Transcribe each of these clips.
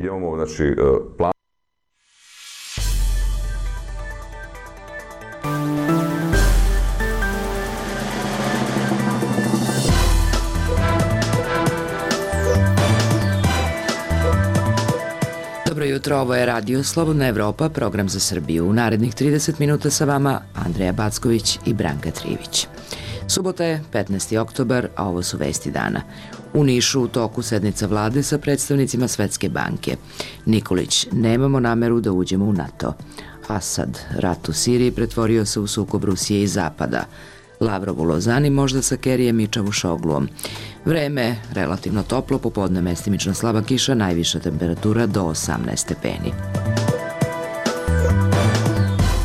Imamo, znači, plan. Dobro jutro, ovo je Radio Slobodna Evropa, program za Srbiju. U narednih 30 minuta sa vama Andreja Backović i Branka Trivić. Subota je 15. oktobar, a ovo su vesti dana. U Nišu u toku sednica vlade sa predstavnicima Svetske banke. Nikolić, nemamo nameru da uđemo u NATO. Asad, rat u Siriji pretvorio se u sukob Rusije i Zapada. Lavrov u Lozani možda sa Kerijem i Čavušogluom. Vreme relativno toplo, popodne mestimično slaba kiša, najviša temperatura do 18 stepeni.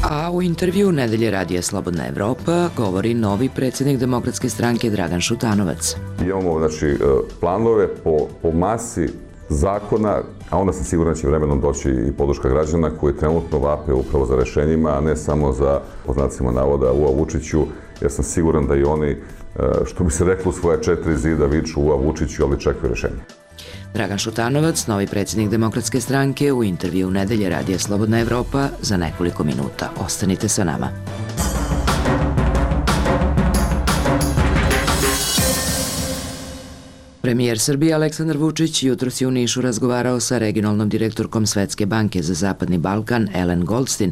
A u intervju Nedelje Radija Slobodna Evropa govori novi predsjednik Demokratske stranke Dragan Šutanovac. Imamo, znači, planove po masi zakona, a onda sam siguran da će vremenom doći i podrška građana koji trenutno vape upravo za rešenjima, a ne samo za, po znacima navoda, Ua Vučiću, jer sam siguran da i oni, što bi se reklo, u svoje 4 zida viču Ua Vučiću, ali čekaju rešenje. Dragan Šutanovac, novi predsjednik Demokratske stranke, u intervju Nedelje Radija Slobodna Evropa za nekoliko minuta. Ostanite sa nama. Premijer Srbije Aleksandar Vučić jutros je u Nišu razgovarao sa regionalnom direktorkom Svetske banke za Zapadni Balkan Ellen Goldstein,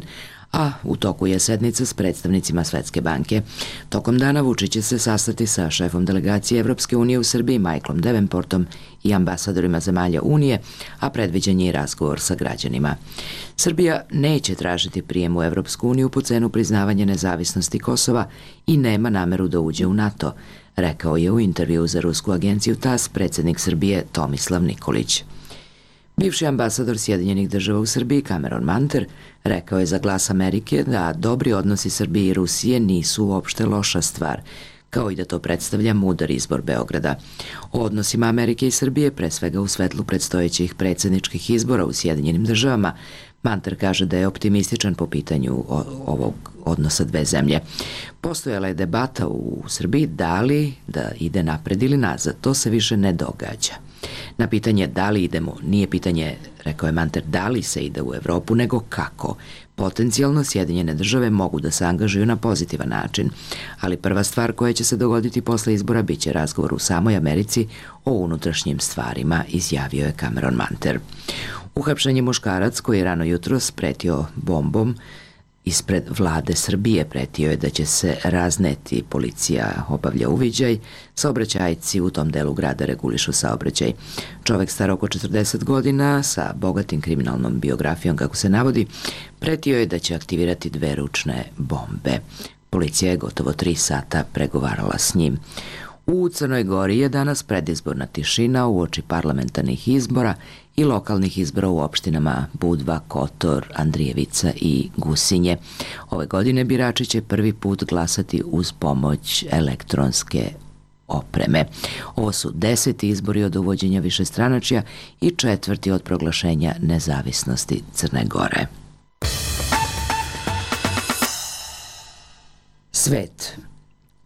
a u toku je sednica s predstavnicima Svetske banke. Tokom dana Vučić će se sastati sa šefom delegacije Evropske unije u Srbiji Michaelom Davenportom i ambasadorima zemalja Unije, a predviđen je i razgovor sa građanima. Srbija neće tražiti prijem u Evropsku uniju po cenu priznavanja nezavisnosti Kosova i nema nameru da uđe u NATO, rekao je u intervju za rusku agenciju TASS predsjednik Srbije Tomislav Nikolić. Bivši ambasador Sjedinjenih država u Srbiji Cameron Manter rekao je za Glas Amerike da dobri odnosi Srbije i Rusije nisu uopšte loša stvar, kao i da to predstavlja mudar izbor Beograda. O odnosima Amerike i Srbije, pre svega u svetlu predstojećih predsjedničkih izbora u Sjedinjenim državama, Manter kaže da je optimističan po pitanju ovog odnosa dve zemlje. Postojala je debata u Srbiji da li da ide napred ili nazad. To se više ne događa. Na pitanje da li idemo, nije pitanje, rekao je Manter, da li se ide u Evropu, nego kako. Potencijalno Sjedinjene države mogu da se angažuju na pozitivan način, ali prva stvar koja će se dogoditi posle izbora biće razgovor u samoj Americi o unutrašnjim stvarima, izjavio je Cameron Manter. Uhapšen je muškarac koji je rano jutros pretio bombom ispred vlade Srbije. Pretio je da će se razneti. Policija obavlja uviđaj. Saobraćajci u tom delu grada regulišu saobraćaj. Čovek star oko 40 godina sa bogatim kriminalnom biografijom, kako se navodi, pretio je da će aktivirati 2 ručne bombe. Policija je gotovo 3 sata pregovarala s njim. U Crnoj Gori je danas predizborna tišina uoči parlamentarnih izbora i lokalnih izbora u opštinama Budva, Kotor, Andrijevica i Gusinje. Ove godine birači će prvi put glasati uz pomoć elektronske opreme. Ovo su 10. izbori od uvođenja višestranačja i 4. od proglašenja nezavisnosti Crne Gore. Svet.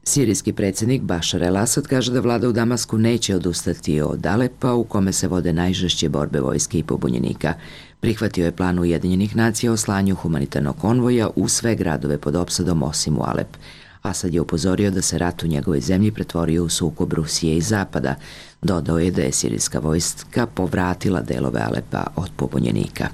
Sirijski predsjednik Bašar el-Asad kaže da vlada u Damasku neće odustati od Alepa, u kome se vode najžešće borbe vojske i pobunjenika. Prihvatio je plan Ujedinjenih nacija o slanju humanitarnog konvoja u sve gradove pod opsadom osim u Alep. Asad je upozorio da se rat u njegovoj zemlji pretvorio u sukob Rusije i Zapada. Dodao je da je sirijska vojska povratila delove Alepa od pobunjenika.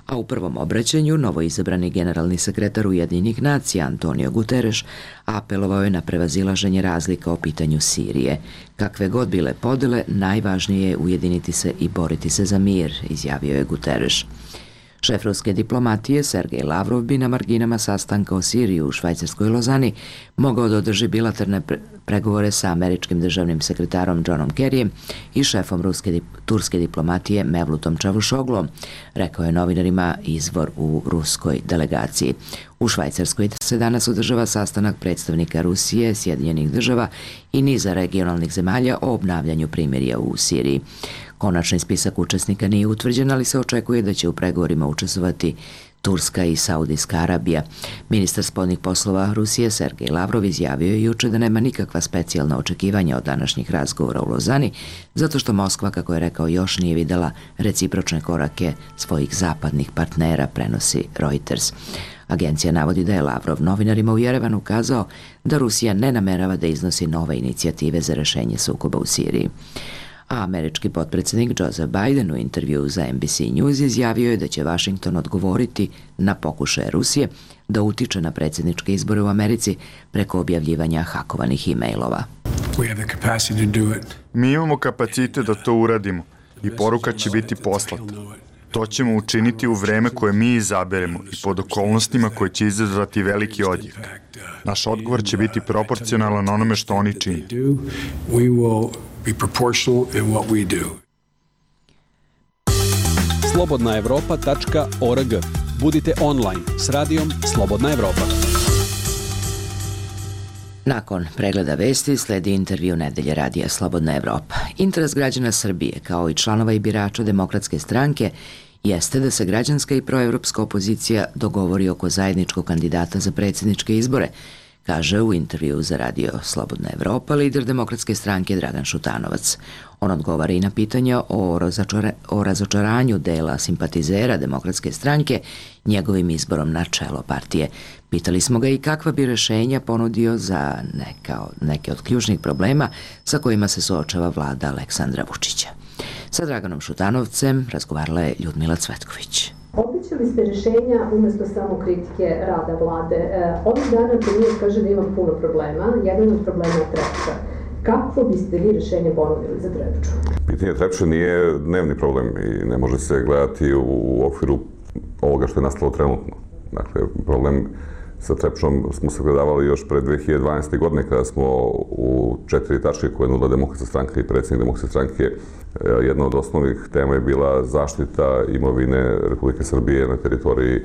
A u prvom obraćanju novoizabrani generalni sekretar Ujedinjenih nacija Antonio Guterres apelovao je na prevazilaženje razlika o pitanju Sirije. Kakve god bile podele, najvažnije je ujediniti se i boriti se za mir, izjavio je Guterres. Šef ruske diplomatije Sergej Lavrov bi na marginama sastanka o Siriji u švajcarskoj Lozani mogao da održi bilateralne pregovore sa američkim državnim sekretarom Johnom Kerijem i šefom turske diplomatije Mevlutom Čavušoglom, rekao je novinarima izvor u ruskoj delegaciji. U Švajcarskoj se danas održava sastanak predstavnika Rusije, Sjedinjenih država i niza regionalnih zemalja o obnavljanju primirja u Siriji. Konačni spisak učesnika nije utvrđen, ali se očekuje da će u pregovorima učestvovati Turska i Saudijska Arabija. Ministar spoljnih poslova Rusije Sergej Lavrov izjavio je juče da nema nikakva specijalna očekivanja od današnjih razgovora u Lozani, zato što Moskva, kako je rekao, još nije videla recipročne korake svojih zapadnih partnera, prenosi Reuters. Agencija navodi da je Lavrov novinarima u Jerevanu kazao da Rusija ne namerava da iznosi nove inicijative za rešenje sukoba u Siriji. A američki potpredsjednik Joseph Biden u intervjuu za NBC News izjavio je da će Washington odgovoriti na pokušaje Rusije da utiče na predsjedničke izbore u Americi preko objavljivanja hakovanih e-mailova. Mi imamo kapacitet da to uradimo i poruka će biti poslata. To ćemo učiniti u vreme koje mi izaberemo i pod okolnostima koje će izazvati veliki odjek. Naš odgovor će biti proporcionalan onome što oni čine. slobodnaevropa.org. Budite online s radijom Slobodna Evropa. Nakon pregleda vesti sledi intervju Nedelje radija Slobodna Evropa. Interes građana Srbije, kao i članova i birača Demokratske stranke, jeste da se građanska i proevropska opozicija dogovori oko zajedničkog kandidata za predsjedničke izbore, kaže u intervju za radio Slobodna Evropa lider Demokratske stranke Dragan Šutanovac. On odgovara i na pitanja o razočaranju dela simpatizera Demokratske stranke njegovim izborom na čelo partije. Pitali smo ga i kakva bi rešenja ponudio za neke od ključnih problema sa kojima se suočava vlada Aleksandra Vučića. Sa Draganom Šutanovcem razgovarala je Ljudmila Cvetković. Obećali ste rešenja umesto samo kritike rada vlade. Ovih dana premijer kaže da ima puno problema. Jedan od problema je Trepča. Kako biste vi rešenje ponudili za Trepču? Pitanje Trepče nije dnevni problem i ne može se gledati u okviru ovoga što je nastalo trenutno. Dakle, problem sa Trepčom smo se gledavali još pre 2012. godine kada smo u 4 tačke koje je nudila Demokratska stranka i predsjednik Demokratske stranke. Jedna od osnovnih tema je bila zaštita imovine Republike Srbije na teritoriji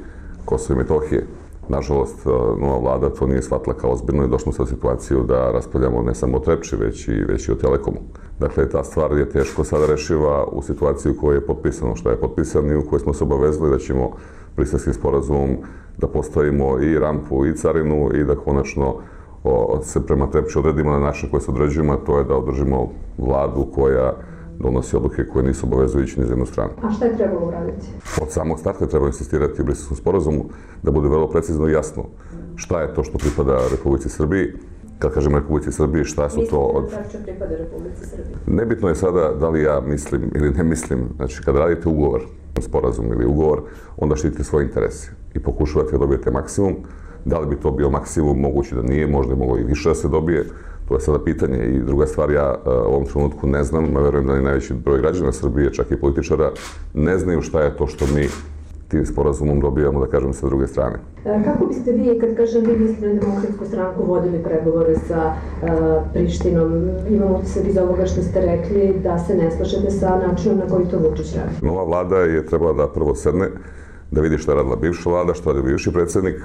Kosova i Metohije. Nažalost, nova vlada to nije shvatila kao ozbiljno i došlo se u situaciju da raspravljamo ne samo o Trepči, već i o Telekomu. Dakle, ta stvar je teško sada rešiva u situaciji u kojoj je potpisano šta je potpisano i u kojoj smo se obavezali da ćemo Briselskim sporazumom da postavimo i rampu i carinu i da konačno se prema Trepči odredimo na način koji se određujemo, a to je da održimo vladu koja donosi odluke koje nisu obavezujući ni za jednu stranu. A šta je trebalo uraditi? Od samog starta treba insistirati u Briselskom sporazumu da bude vrlo precizno i jasno šta je to što pripada Republici Srbiji. Kad kažem Republici Srbiji, šta su to od... Mislite da Trepča pripada Republici Srbiji? Nebitno je sada da li ja mislim ili ne mislim. Znači, kada radite ugovor, sporazum ili ugovor, onda štitite svoje interese i pokušavate da dobijete maksimum. Da li bi to bio maksimum, moguće da nije, možda je moglo i više da se dobije. To je sada pitanje. I druga stvar, ja u ovom trenutku ne znam, a verujem da ni najveći broj građana Srbije, čak i političara, ne znaju šta je to što mi tim sporazumom dobijamo, da kažem, sa druge strane. Kako biste vi, kad kažem vi mislite na Demokratsku stranku, vodili pregovore sa Prištinom? Imamo utisak iz ovoga što ste rekli da se ne slažete sa načinom na koji to Vučić radi. Nova vlada je trebala da prvo sedne, da vidi šta je radila bivša vlada, šta je radio bivši predsjednik,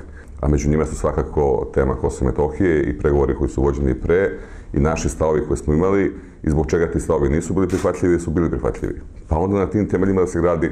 a među njima su svakako tema Kosova i Metohije i pregovori koji su vođeni pre i naši stavovi koje smo imali i zbog čega ti stavovi nisu bili prihvatljivi, su bili prihvatljivi. Pa onda na tim temeljima da se gradi,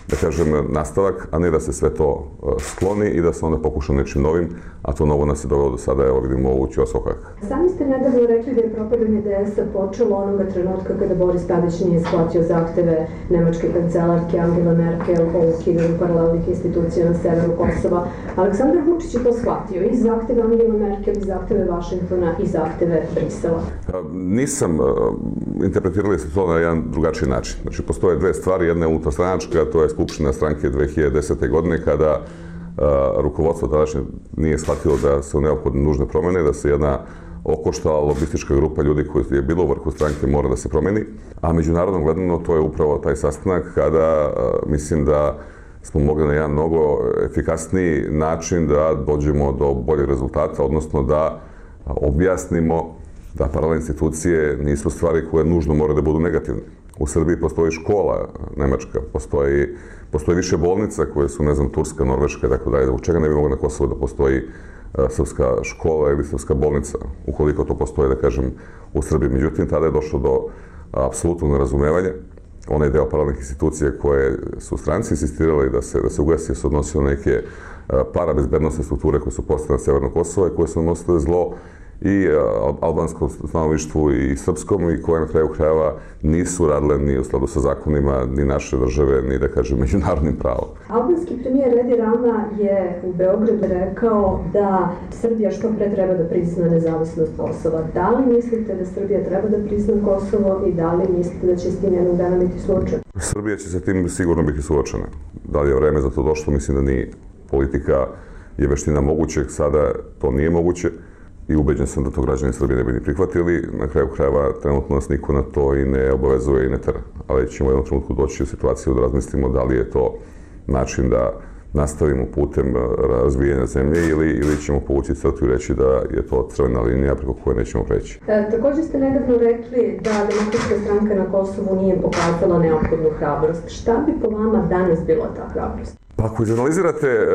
da kažem, nastavak, a ne da se sve to skloni i da se onda pokuša nečim novim, a to novo nas je dovelo do sada, evo vidimo u Ćosokak. Sami ste nedavno rekli da je propadanje DS-a počelo onoga trenutka kada Boris Tadić nije shvatio zahteve nemačke kancelarke Angela Merkel o ukidanju paralelnih institucija na severu Kosova. Aleksandar Vučić je to shvatio, i zahteve Angela Merkel, i zahteve Vašingtona, i zahteve Brisela. Nisam interpretirali se to na jedan drugačiji način. Znači, postoje dve stvari. Jedna je unutarstranačka, to je Skupština stranke 2010. godine, kada rukovodstvo tadašnje nije shvatilo da su neophodne nužne promjene, da se jedna okoštala lobistička grupa ljudi koji je bilo u vrhu stranke mora da se promeni. A međunarodno gledano to je upravo taj sastanak kada mislim da smo mogli na jedan mnogo efikasniji način da dođemo do boljeg rezultata, odnosno da objasnimo da paralelne institucije nisu stvari koje nužno moraju da budu negativne. U Srbiji postoji škola nemačka, postoji više bolnica koje su, ne znam, Turska, Norveška i tako dalje. Zbog čega ne bi moglo na Kosovu da postoji srpska škola ili srpska bolnica, ukoliko to postoji, da kažem, u Srbiji. Međutim, tada je došlo do apsolutnog nerazumevanja onaj deo paralelnih institucija koje su stranci insistirali da se ugasi, se odnosilo neke parabezbednostne strukture koje su postale na Severno Kosovo i koje su nosile zlo i albanskom stanovništvu i srpskom i koje na kraju krajeva nisu radile ni u skladu sa zakonima ni naše države, ni da kažem međunarodnim pravom. Albanski premijer Edi Rama je u Beogradu rekao da Srbija što pre treba da prizna nezavisnost Kosova. Da li mislite da Srbija treba da prizna Kosovo i da li mislite da će s tim jednog dana biti slučaj? Srbija će sa tim sigurno biti suočena. Da li je vreme za to došlo? Mislim da nije. Politika je veština mogućeg, sada to nije moguće. I ubeđen sam da to građani Srbije ne bi ni prihvatili. Na kraju krajeva trenutno nas niko na to i ne obavezuje i ne tera. Ali ćemo u jednom trenutku doći u situaciju da razmislimo da li je to način da nastavimo putem razvijanja zemlje ili ćemo povući crtu i reći da je to crvena linija preko koje nećemo preći. Također ste nedavno rekli da Demokratska stranka na Kosovu nije pokazala neophodnu hrabrost. Šta bi po vama danas bila ta hrabrost? Pa ako izanalizirate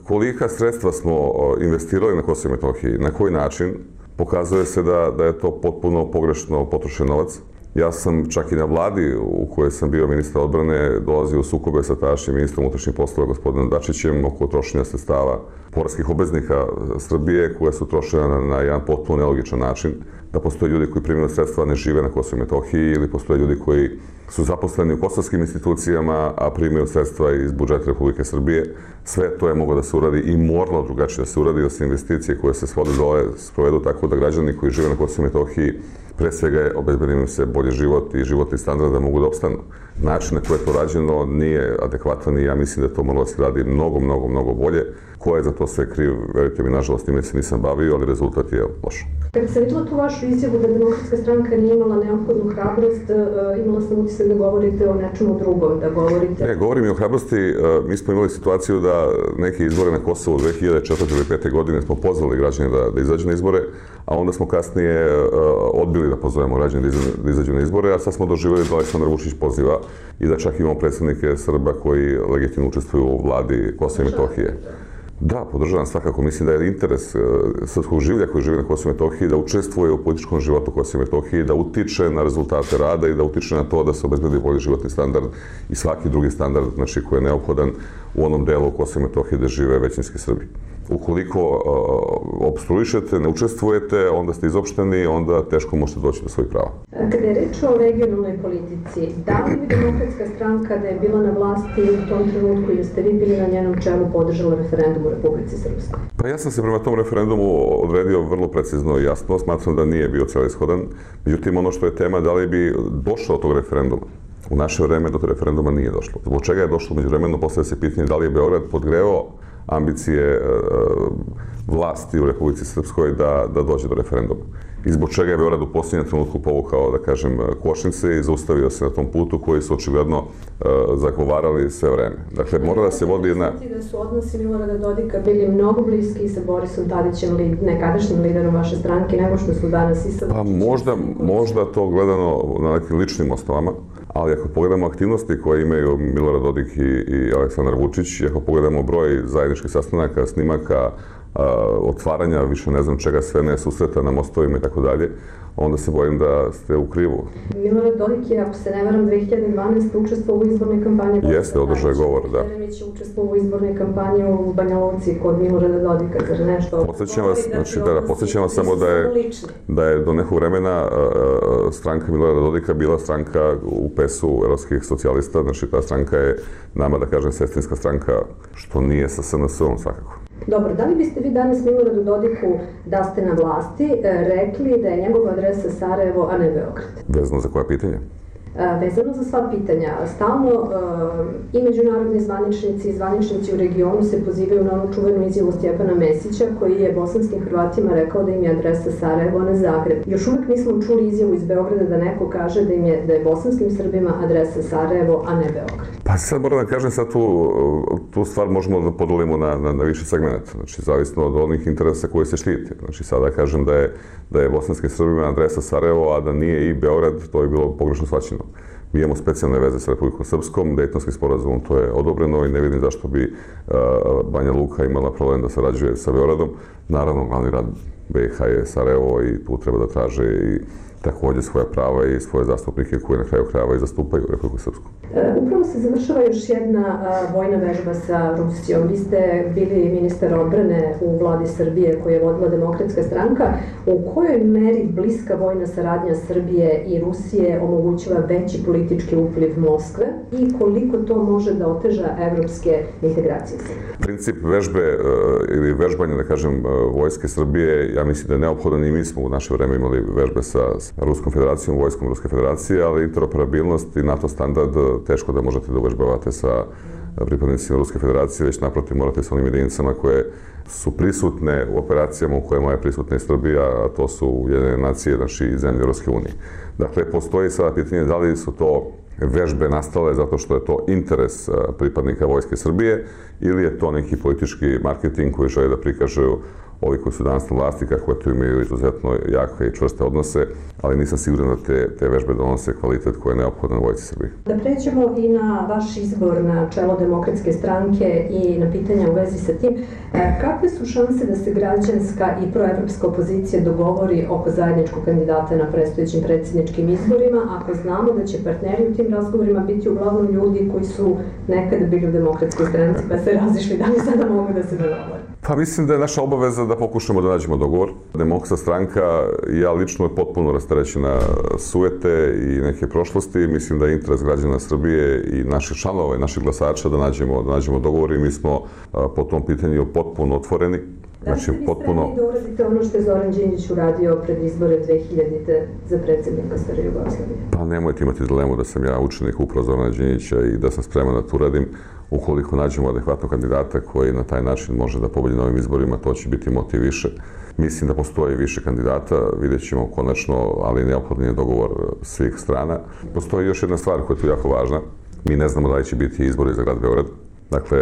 kolika sredstva smo investirali na Kosovo i Metohiji, na koji način, pokazuje se da je to potpuno pogrešno potrošen novac. Ja sam čak i na vladi u kojoj sam bio ministar odbrane dolazio u sukobe sa tadašnjim ministrom unutrašnjih poslova gospodinom Dačićem oko trošenja sredstava poreskih obveznika Srbije koja su trošena na jedan potpuno nelogičan način. Da postoje ljudi koji primaju sredstva, ne žive na Kosovo i Metohiji ili postoje ljudi koji su zaposleni u kosovskim institucijama, a primaju sredstva iz budžeta Republike Srbije. Sve to je moglo da se uradi i moralo drugačije da se uradi, da se investicije koje se svode dole sprovedu tako da građani koji žive na Kosovo i Metohiji pre svega obezbedi im se bolji život i životni standard da mogu da opstanu. Način na koje je to rađeno nije adekvatan i ja mislim da to moralo da se radi mnogo bolje. Ko je za to sve kriv, verujte mi, nažalost, time se nisam bavio, ali rezultat je loš. Kad sam videla tu vašu izjavu da Demokratska stranka nije imala neophodnu hrabrost, imala sam utisak da govorite o nečemu drugom, da govorite... Ne, govorim i o hrabrosti. Mi smo imali situaciju da neke izbore na Kosovu 2004. ili 2005. godine smo pozvali građane da izađu na izbore, a onda smo kasnije odbili da pozovemo građane da izađu na izbore, a sad smo doživjeli da Aleksandar Vučić poziva i da čak imamo predstavnike Srba koji legitimno učestvuju u vladi Kosova i Metohije. Da, podržavam svakako. Mislim da je interes srpskog življa koji živi na Kosovo i Metohiji da učestvuje u političkom životu Kosova i Metohije, da utiče na rezultate rada i da utiče na to da se obezbedi bolji životni standard i svaki drugi standard, znači, koji je neophodan u onom delu Kosova i Metohije gde žive većinski Srbi. Ukoliko opstruišete, ne učestvujete, onda ste izopšteni, onda teško možete doći do svojih prava. Kada je reč o regionalnoj politici, da li bi Demokratska stranka da je bila na vlasti u tom trenutku i da ste vi bili na njenom čelu podržala referendum u Republici Srpskoj? Pa ja sam se prema tom referendumu odredio vrlo precizno i jasno, smatram da nije bio celishodan. Međutim, ono što je tema, da li bi došlo od tog referenduma. U naše vreme do tog referenduma nije došlo. Zbog čega je došlo međuvremeno, postavlja se pitanje da li je Beograd podgreo ambicije vlasti u Republici Srpskoj da dođe do referenduma. I zbog čega je Beograd u posljednjem trenutku povukao, da kažem, kočnice i zaustavio se na tom putu koji su očigledno zagovarali sve vreme. Dakle, mora da se vodi jedna... Da su odnosi Milorada Dodika bili mnogo bliski sa Borisom Tadićem, nekadašnjim liderom vaše stranke, nego što su danas i sa... Pa možda to gledano na nekim ličnim osnovama, ali ako pogledamo aktivnosti koje imaju Milorad Dodik i Aleksandar Vučić, ako pogledamo broj zajedničkih sastanaka, snimaka, otvaranja, više ne znam čega sve ne, susreta na mostovima i tako dalje, onda se bojim da ste u krivu. Milorad Dodik je, ako se ne varam, 2012. učestvovao u izbornoj kampanji. Jeste, održao je govor, da. Jeremić je učestvovao u izbornoj kampanji u Banja Luci kod Milorada Dodika, zar nešto? Podsjećam vas, znači podsjećam vas samo da je do nekog vremena stranka Milorada Dodika bila stranka u PES-u evropskih socijalista, znači ta stranka je nama, da kažem, sestrinska stranka, što nije sa SNS-om svakako. Dobro, da li biste vi danas Miloradu Dodiku, da ste na vlasti, rekli da je njegova adresa Sarajevo, a ne Beograd? Vezano za koja pitanja? Vezano za sva pitanja. Stalno i međunarodni zvaničnici i zvaničnici u regionu se pozivaju na onu čuvenu izjavu Stjepana Mesića koji je bosanskim Hrvatima rekao da im je adresa Sarajevo, a ne Zagreb. Još uvek nismo čuli izjavu iz Beograda da neko kaže da je bosanskim Srbima adresa Sarajevo, a ne Beograd. Pa sad moram da kažem, sad tu stvar možemo da podelimo na više segmenta. Znači, zavisno od onih interesa koje se štite. Znači, sada kažem da je bosanskim Srbima adresa Sarajevo, a da nije i Beograd, to je bilo pogrešno shvaćeno. Mi imamo specijalne veze sa Republikom Srpskom, Dejtonskim sporazumom to je odobreno i ne vidim zašto bi Banja Luka imala problem da sarađuje sa Beogradom. Naravno, glavni grad BiH je Sarajevo i tu treba da traže i takođe svoja prava i svoje zastupnike koje na kraju krajeva i zastupaju Republiku Srpsku. Upravo se završava još jedna vojna vežba sa Rusijom. Vi ste bili ministar odbrane u vladi Srbije koju je vodila Demokratska stranka. U kojoj meri bliska vojna saradnja Srbije i Rusije omogućava veći politički upliv Moskve i koliko to može da oteža evropske integracije? Princip vežbe ili vežbanja, da kažem, vojske Srbije, ja mislim da je neophodan i mi smo u naše vreme imali vežbe sa Ruskom federacijom, vojskom Ruske federacije, ali interoperabilnost i NATO standard teško da možete da uvežbavate sa pripadnicima Ruske federacije, već naprotiv morate sa onim jedinicama koje su prisutne u operacijama u kojima je prisutna i Srbija, a to su Ujedinjene nacije, znači i zemlje Europske unije. Dakle, postoji sada pitanje da li su to vežbe nastale zato što je to interes pripadnika Vojske Srbije ili je to neki politički marketing koji žele da prikažu ovi koji su danas na vlasti, kako tu imaju izuzetno jake i čvrste odnose, ali nisam siguran da te vežbe donose kvalitet koji je neophodan Vojsci Srbije. Da pređemo i na vaš izbor na čelo Demokratske stranke i na pitanja u vezi sa tim, kakve su šanse da se građanska i proevropska opozicija dogovori oko zajedničkog kandidata na predstojećim predsjedničkim izborima, ako znamo da će partneri u tim razgovorima biti uglavnom ljudi koji su nekada bili u Demokratskoj stranci pa se razišli, da li sada mogu da se dogovore? Pa mislim da je naša obaveza da pokušamo da nađemo dogovor. Demokratska stranka i ja lično je potpuno rasterećena sujete i neke prošlosti. Mislim da je interes građana Srbije i naših članova i naših glasača da nađemo dogovor i mi smo po tom pitanju potpuno otvoreni. Da li ste vi spremni da uradite ono što je Zoran Đinđić uradio pred izbore 2000. za predsjednika Stare Jugoslavije? Pa nemojte imati dilemu da sam ja učenik upravo Zorana Đinđića i da sam spreman da to uradim. Ukoliko nađemo adekvatnog kandidata koji na taj način može da pobedi na ovim izborima, to će biti motiv više. Mislim da postoji više kandidata, vidjet ćemo konačno, ali neophodan je dogovor svih strana. Postoji još jedna stvar koja je tu jako važna. Mi ne znamo da li će biti izbori za grad Beograd. Dakle,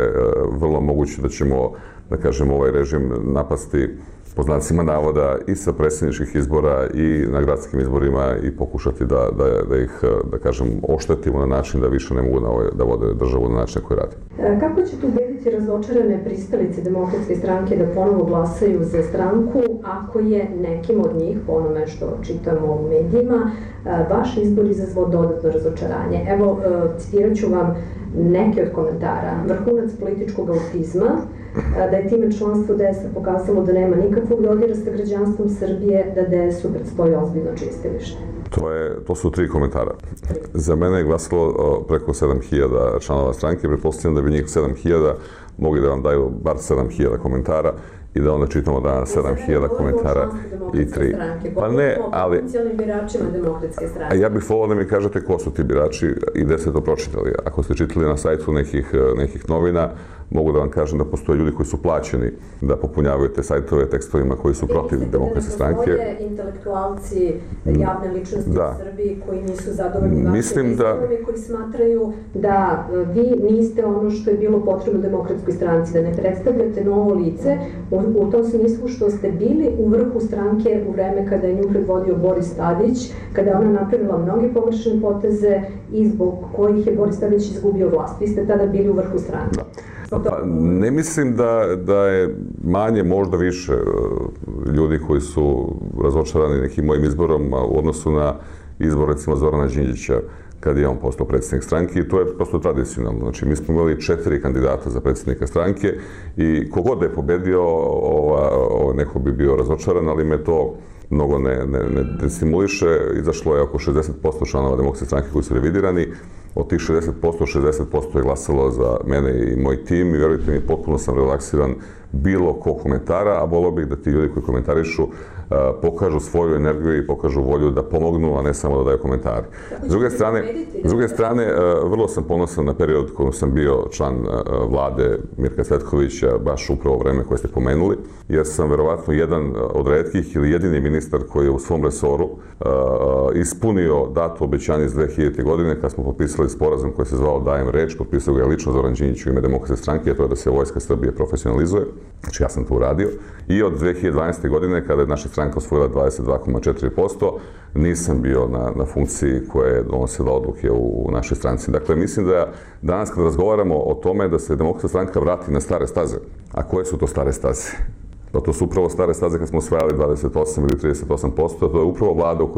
vrlo moguće da ćemo, da kažem, ovaj režim napasti po znacima navoda i sa predsjedničkih izbora i na gradskim izborima i pokušati da ih, da kažem, oštetimo na način da više ne mogu da vode državu na način koji radi. Kako ćete ubediti razočarane pristalice Demokratske stranke da ponovo glasaju za stranku ako je nekim od njih, po onome što čitamo u medijima, vaš izbor izazvao dodatno razočaranje? Evo, citirat ću vam neke od komentara. Vrhunac političkog autizma, da je time članstvo DS-a pokazalo da nema nikakvog dodira sa građanstvom Srbije, da DS-u predstoji ozbiljno čistilište. To su 3 komentara. Za mene je glasalo preko 7000 članova stranke, pretpostavljam da bi njih 7000 mogli da vam daju bar 7000 komentara i da onda čitamo danas 7000 komentara i 3. Pa ne, ali... Potencijalnim biračima Demokratske stranke. Ja bih volao da mi kažete ko su ti birači i gde ste to pročitali. Ako ste čitali na sajtu nekih novina, mogu da vam kažem da postoje ljudi koji su plaćeni da popunjavaju te sajtove tekstovima koji su protiv Demokratske stranke. Postoje intelektualci, javne ličnosti u Srbiji koji nisu zadovoljni vašim izborom i koji smatraju da vi niste ono što je bilo potrebno Demokratskoj stranci, da ne predstavljate novo lice u tom smislu što ste bili u vrhu stranke u vreme kada je nju predvodio Boris Tadić, kada je ona napravila mnoge pogrešne poteze i zbog kojih je Boris Tadić izgubio vlast. Vi ste tada bili u vrhu stranke. Pa, ne mislim da je manje, možda više ljudi koji su razočarani nekim mojim izborom u odnosu na izbor, recimo, Zorana Đinđića, kad je on postao predsjednik stranke i to je prosto tradicionalno. Znači, mi smo imali 4 kandidata za predsjednika stranke i kogod da je pobedio, neko bi bio razočaran, ali me to mnogo ne destimuliše. Izašlo je oko 60% članova Demokratske stranke koji su revidirani. Od tih 60% je glasalo za mene i moj tim i verujte mi, potpuno sam relaksiran bilo ko komentara, a volio bih da ti ljudi koji komentarišu pokažu svoju energiju i pokažu volju da pomognu, a ne samo da daju komentare. S druge strane, vrlo sam ponosan na period kojom sam bio član vlade Mirka Cvetkovića, baš upravo vreme koje ste pomenuli, jer sam verovatno jedan od retkih ili jedini ministar koji je u svom resoru ispunio dato obećanje iz 2000. godine kad smo potpisali sporazum koji se zvao Dajem reč, potpisao ga je lično Zoran Đinđić u ime Demokratske stranke, a to je da se Vojska Srbije profesionalizuje. Znači, ja sam to uradio. I od 2012. godine, kada je naša stranka osvojila 22,4%, nisam bio na funkciji koja je donosila odluke u našoj stranci. Dakle, mislim da danas kad razgovaramo o tome da se Demokratska stranka vrati na stare staze, a koje su to stare staze? Pa to su upravo stare staze kad smo osvajali 28 ili 38%, to je upravo vlada u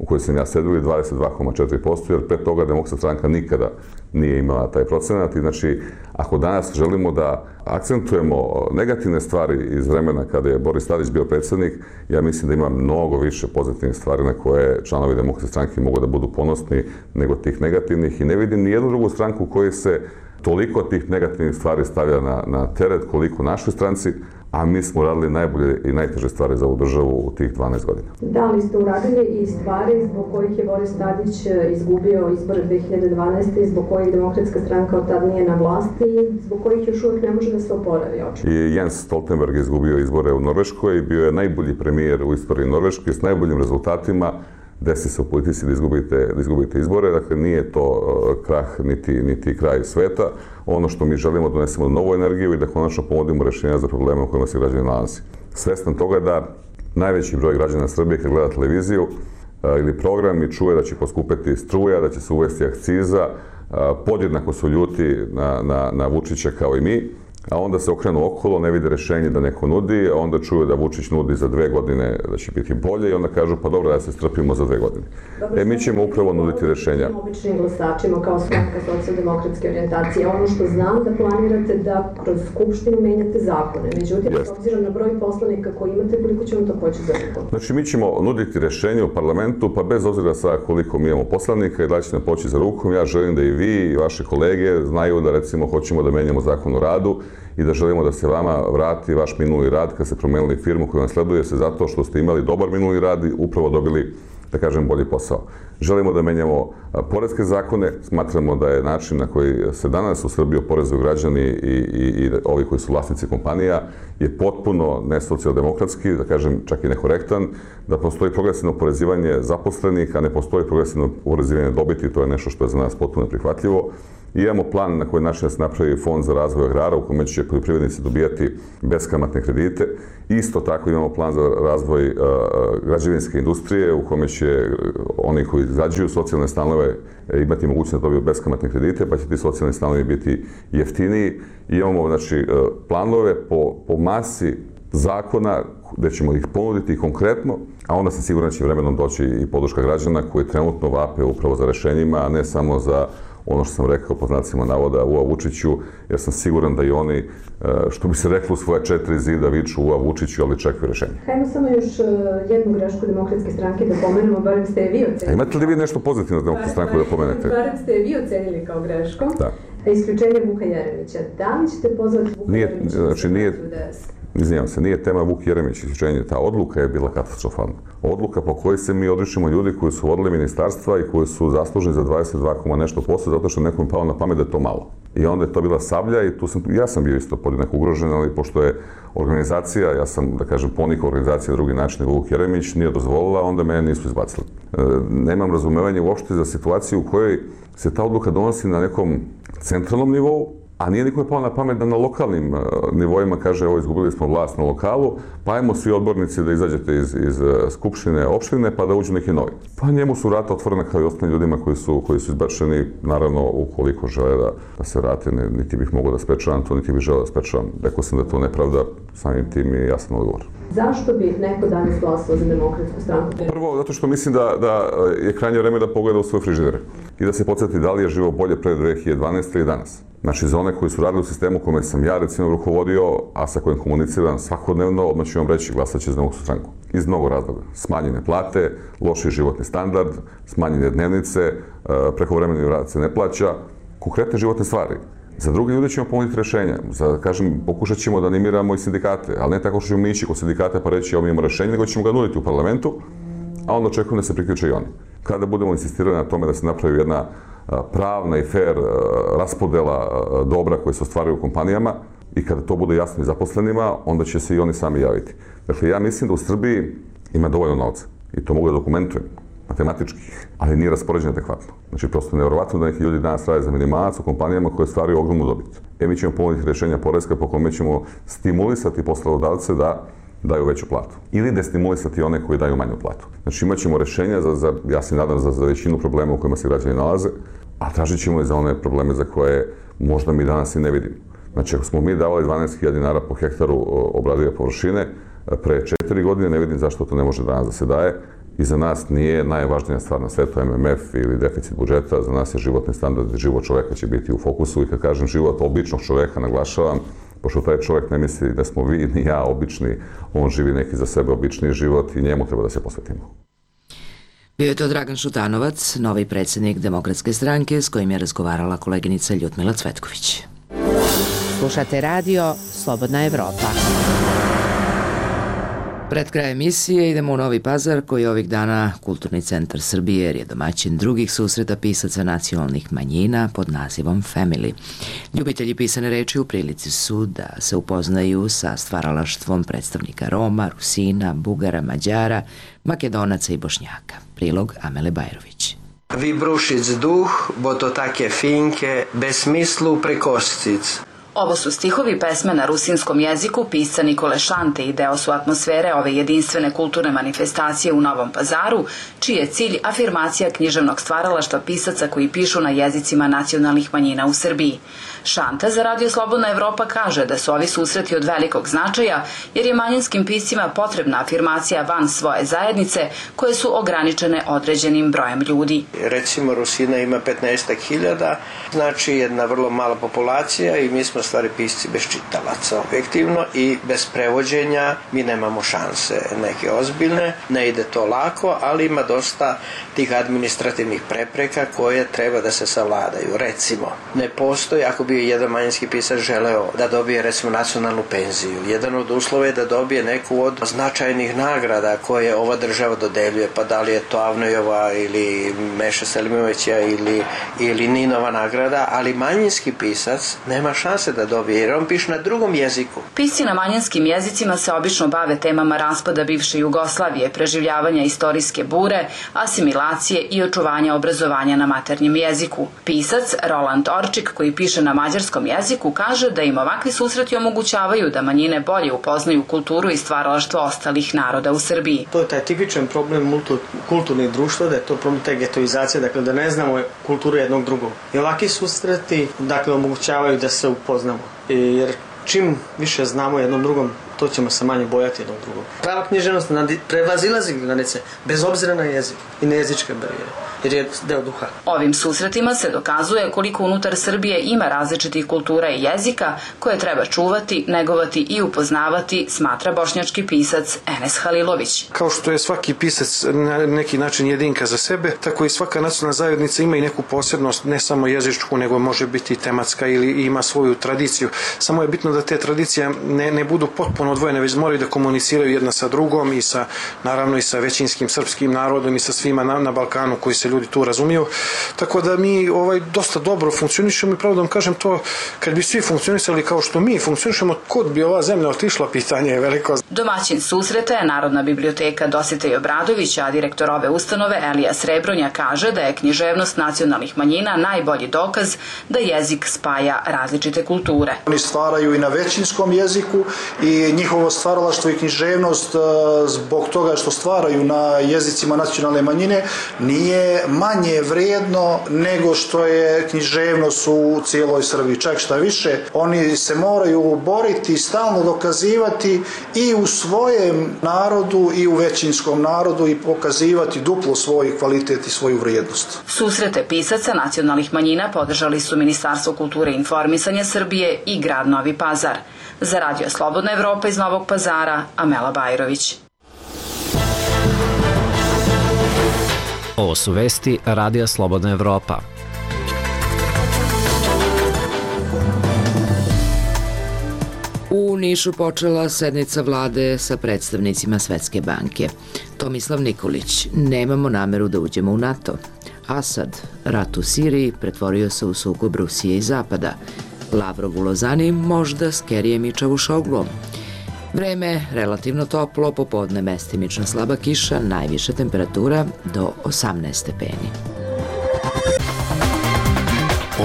kojoj sam ja sedio 22,4%, jer pre toga Demokratska stranka nikada nije imala taj procenat. I znači, ako danas želimo da akcentujemo negativne stvari iz vremena kada je Boris Tadić bio predsjednik, ja mislim da ima mnogo više pozitivnih stvari na koje članovi Demokratske stranke mogu da budu ponosni nego tih negativnih, i ne vidim ni jednu drugu stranku u kojoj se toliko tih negativnih stvari stavlja na teret koliko našoj stranci, a mi smo radili najbolje i najteže stvari za ovu državu u tih 12 godina. Da li ste uradili i stvari zbog kojih je Boris Tadić izgubio izbore 2012. i zbog kojih Demokratska stranka od tad nije na vlasti i zbog kojih još uvijek ne može da se oporavi očito? I Jens Stoltenberg je izgubio izbore u Norveškoj i bio je najbolji premijer u istoriji Norveške s najboljim rezultatima. Desi se u politici da izgubite izbore, dakle nije to krah niti kraj sveta. Ono što mi želimo, donesemo novu energiju i da konačno pomodimo rješenja za probleme u kojima se građani nalazi. Svestan toga da najveći broj građana Srbije kad gleda televiziju ili program i čuje da će poskupeti struja, da će se uvesti akciza, podjednako su ljuti na Vučića kao i mi, a onda se okrenu okolo, ne vide rješenje da neko nudi, a onda čuju da Vučić nudi za 2 godine da će biti bolje i onda kažu pa dobro da se strpimo za 2 godine. Mi ćemo upravo nuditi rješenja. Običnim glasačima kao stranka socijaldemokratske orijentacije, ono što znam da planirate da kroz Skupštinu menjate zakone, međutim, s obzirom na broj poslanika koji imate, koliko će vam to poći za rukom? Znači, mi ćemo nuditi rješenje u parlamentu, pa bez obzira sa koliko mi imamo poslanika i da će nam poći za rukom, ja želim da i vi i vaše kolege znaju da recimo hoćemo da menjamo zakon o radu i da želimo da se vama vrati vaš minuli rad kad ste promenili firmu koju vam sleduje se zato što ste imali dobar minuli rad i upravo dobili, da kažem, bolji posao. Želimo da menjamo poreske zakone, smatramo da je način na koji se danas u Srbiji oporezuju građani i ovi koji su vlasnici kompanija je potpuno nesocijaldemokratski, da kažem čak i nekorektan, da postoji progresivno oporezivanje zaposlenih, a ne postoji progresivno oporezivanje dobiti, to je nešto što je za nas potpuno prihvatljivo. I imamo plan na koji način da se napravi fond za razvoj agrara u kome će poljoprivrednici dobijati beskamatne kredite. Isto tako imamo plan za razvoj građevinske industrije u kome će oni koji izgrađuju socijalne stanove imati mogućnost da dobiju beskamatne kredite, pa će ti socijalni stanovi biti jeftiniji. I imamo znači, planove po masi zakona gde ćemo ih ponuditi konkretno, a onda sam siguran da će vremenom doći i podrška građana koji trenutno vape upravo za rešenjima, a ne samo za ono što sam rekao pod znacima navoda Ua Vučiću, jer sam siguran da i oni, što bi se reklo u svoje 4 zida, viču Ua Vučiću, ali čekaju rješenje. Hajmo samo još jednu grešku Demokratske stranke da pomenemo, barem ste je vi ocenili. Imate li vi nešto pozitivno za Demokratsku stranku da pomenete? Barem ste je vi ocenili kao grešku. Da. Isključenje Vuka Jeremića. Da li ćete pozvati Vuka Jeremića da se vrati u DS? Izvinjam se, nije tema Vuk Jeremić isključenje, ta odluka je bila katastrofalna. Odluka po kojoj se mi odričemo ljudi koji su vodili ministarstva i koji su zasluženi za 22, nešto posto, zato što nekom je palo na pamet da je to malo. I onda je to bila Sablja i ja sam bio isto podjednako ugrožen, ali pošto je organizacija, ja sam, da kažem, ponik organizacije na drugi način, Vuk Jeremić nije dozvolila, onda mene nisu izbacili. Nemam razumevanje uopšte za situaciju u kojoj se ta odluka donosi na nekom centralnom nivou, a nije nikome palo na pamet da na lokalnim nivoima kaže evo izgubili smo vlast na lokalu, pa ajmo svi odbornici da izađete iz skupštine opštine pa da uđu neki novi. Pa njemu su vrata otvorena kao i ostalim ljudima koji su izbačeni, naravno ukoliko žele da se vrate, niti bih mogao da sprečavam to, niti bih želeo da sprečavam. Rekao sam da je to nepravda, samim tim i jasan odgovor. Zašto bi neko danas glasao za Demokratsku stranku? Prvo, zato što mislim da je krajnje vreme da pogleda u svoje frižidere i da se podsjeti da li je živo bolje pre 2012. ili danas. Znači, za one koji su radili u sistemu kome sam ja, recimo, rukovodio, a sa kojim komuniciram svakodnevno, odmah ću vam reći glasat će za Demokratsku stranku. Iz mnogo razloga. Smanjene plate, loši životni standard, smanjene dnevnice, prekovremeni rad se ne plaća, konkretne životne stvari. Za druge ljude ćemo ponuditi rješenja. Kažem, pokušat ćemo da animiramo i sindikate, ali ne tako što ćemo ići kod sindikata pa reći evo mi imamo rješenje, nego ćemo ga nuditi u parlamentu, a onda očekujem da se priključe i oni. Kada budemo insistirali na tome da se napravi jedna pravna i fair raspodela dobra koje se ostvaruju u kompanijama i kada to bude jasno i zaposlenima, onda će se i oni sami javiti. Dakle, ja mislim da u Srbiji ima dovoljno novca i to mogu da dokumentujem matematički, ali nije raspoređeno adekvatno. Znači, prosto nevjerovatno da neki ljudi danas rade za minimalac u kompanijama koje stvaraju ogromnu dobit. Mi ćemo ponuditi rješenja poreska po kome ćemo stimulisati poslodavce da daju veću platu. Ili destimulisati one koji daju manju platu. Znači, imat ćemo rješenja ja se nadam, za većinu problema u kojima se građani nalaze, a tražit ćemo i za one probleme za koje možda mi danas i ne vidimo. Znači, ako smo mi davali 12.000 dinara po hektaru obradive površine, pre 4 godine ne vidim zašto to ne može danas da se daje. I za nas nije najvažnija stvar na svetu MMF ili deficit budžeta, za nas je životni standard i život čoveka će biti u fokusu i kad kažem život običnog čoveka, naglašavam, pošto taj čovek ne misli da smo vi ni ja obični, on živi neki za sebe obični život i njemu treba da se posvetimo. Bio je to Dragan Šutanovac, novi predsjednik Demokratske stranke s kojim je razgovarala koleginica Ljudmila Cvetković. Slušate radio Slobodna Evropa. Pred kraj emisije idemo u Novi Pazar, koji je ovih dana Kulturni centar Srbije, jer je domaćin drugih susreta pisaca nacionalnih manjina pod nazivom Family. Ljubitelji pisane reči u prilici su da se upoznaju sa stvaralaštvom predstavnika Roma, Rusina, Bugara, Mađara, Makedonaca i Bošnjaka. Prilog Amele Bajrović. Vi brušic duh, bo to take finke, bez smislu prekoscic. Ovo su stihovi pesme na rusinskom jeziku pisca Nikole Šante i deo su atmosfere ove jedinstvene kulturne manifestacije u Novom Pazaru, čiji je cilj afirmacija književnog stvaralaštva pisaca koji pišu na jezicima nacionalnih manjina u Srbiji. Šanta za Radio Slobodna Evropa kaže da su ovi susreti od velikog značaja jer je manjinskim piscima potrebna afirmacija van svoje zajednice koje su ograničene određenim brojem ljudi. Recimo Rusina ima 15.000, znači jedna vrlo mala populacija i mi smo stvari pisci bez čitalaca objektivno i bez prevođenja mi nemamo šanse neke ozbiljne, ne ide to lako, ali ima dosta tih administrativnih prepreka koje treba da se savladaju. Recimo, ne postoji, ako bi jedan manjinski pisac želeo da dobije recimo nacionalnu penziju, jedan od uslova je da dobije neku od značajnih nagrada koje ova država dodeljuje, pa da li je to Avnojova ili Meša Selimovića ili Ninova nagrada, ali manjinski pisac nema šanse da dobije jer on piše na drugom jeziku. Pisci na manjinskim jezicima se obično bave temama raspada bivše Jugoslavije, preživljavanja istorijske bure, asimilacije i očuvanja obrazovanja na maternjem jeziku. Pisac Roland Orčik, koji piše na mađarskom jeziku, kaže da im ovakvi susreti omogućavaju da manjine bolje upoznaju kulturu i stvaralaštvo ostalih naroda u Srbiji. To je taj tipičan problem multikulturnih društva, da je to problem te getoizacije, dakle da ne znamo kulturu jednog drugog. I ovakvi susreti, dakle, omogućavaju da se upoznamo. Jer čim više znamo jednom drugom, to ćemo se manje bojati jednog drugog. Prava književnost prevazilazi granice, bez obzira na jezik i na jezičke barijere, jer je deo duha. Ovim susretima se dokazuje koliko unutar Srbije ima različitih kultura i jezika koje treba čuvati, negovati i upoznavati, smatra bošnjački pisac Enes Halilović. Kao što je svaki pisac na neki način jedinka za sebe, tako i svaka nacionalna zajednica ima i neku posebnost, ne samo jezičku, nego može biti tematska ili ima svoju tradiciju. Samo je bitno da te tradicije ne budu potpuno odvojene, već moraju da komuniciraju jedna sa drugom i sa, naravno, i sa većinskim srpskim narodom i sa svima na Balkanu koji se ljudi tu razumiju. Tako da mi dosta dobro funkcionišemo i pravo da vam kažem to, kad bi svi funkcionisali kao što mi funkcionišemo, kod bi ova zemlja otišla, pitanje je veliko. Domaćin susreta je Narodna biblioteka Dositej Obradović, a direktor ove ustanove Elija Srebronja kaže da je književnost nacionalnih manjina najbolji dokaz da jezik spaja različite kulture. Oni stvaraju i na većinskom jeziku i njihovo stvaralaštvo i književnost zbog toga što stvaraju na jezicima nacionalne manjine nije manje vrijedno nego što je književnost u cijeloj Srbiji. Čak šta više, oni se moraju boriti i stalno dokazivati i u svojem narodu i u većinskom narodu i pokazivati duplo svoj kvalitet i svoju vrijednost. Susrete pisaca nacionalnih manjina podržali su Ministarstvo kulture i informisanja Srbije i grad Novi Pazar. Za Radio Slobodna Evropa iz Novog Pazara, Amela Bajrović. Ovo su vesti Radija Slobodna Evropa. U Nišu počela sednica vlade sa predstavnicima Svetske banke. Tomislav Nikolić, nemamo nameru da uđemo u NATO. Asad, rat u Siriji pretvorio se u sukob Rusije i Zapada. Lavrov u Lozani možda s Kerijem i Čavušoglom. Vreme relativno toplo, popodne mestimično slaba kiša, najviša temperatura do 18 stepeni.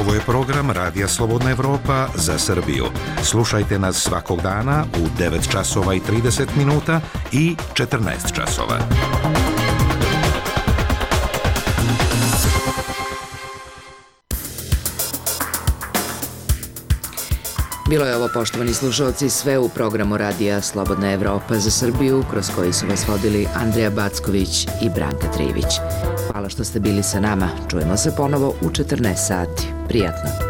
Ovo je program Radija Slobodna Evropa za Srbiju. Slušajte nas svakog dana u 9 časova i 30 minuta i 14 časova. Bilo je ovo, poštovani slušalci, sve u programu radija Slobodna Evropa za Srbiju, kroz koji su vas vodili Andreja Backović i Branka Trivić. Hvala što ste bili sa nama. Čujemo se ponovo u 14 sati. Prijatno.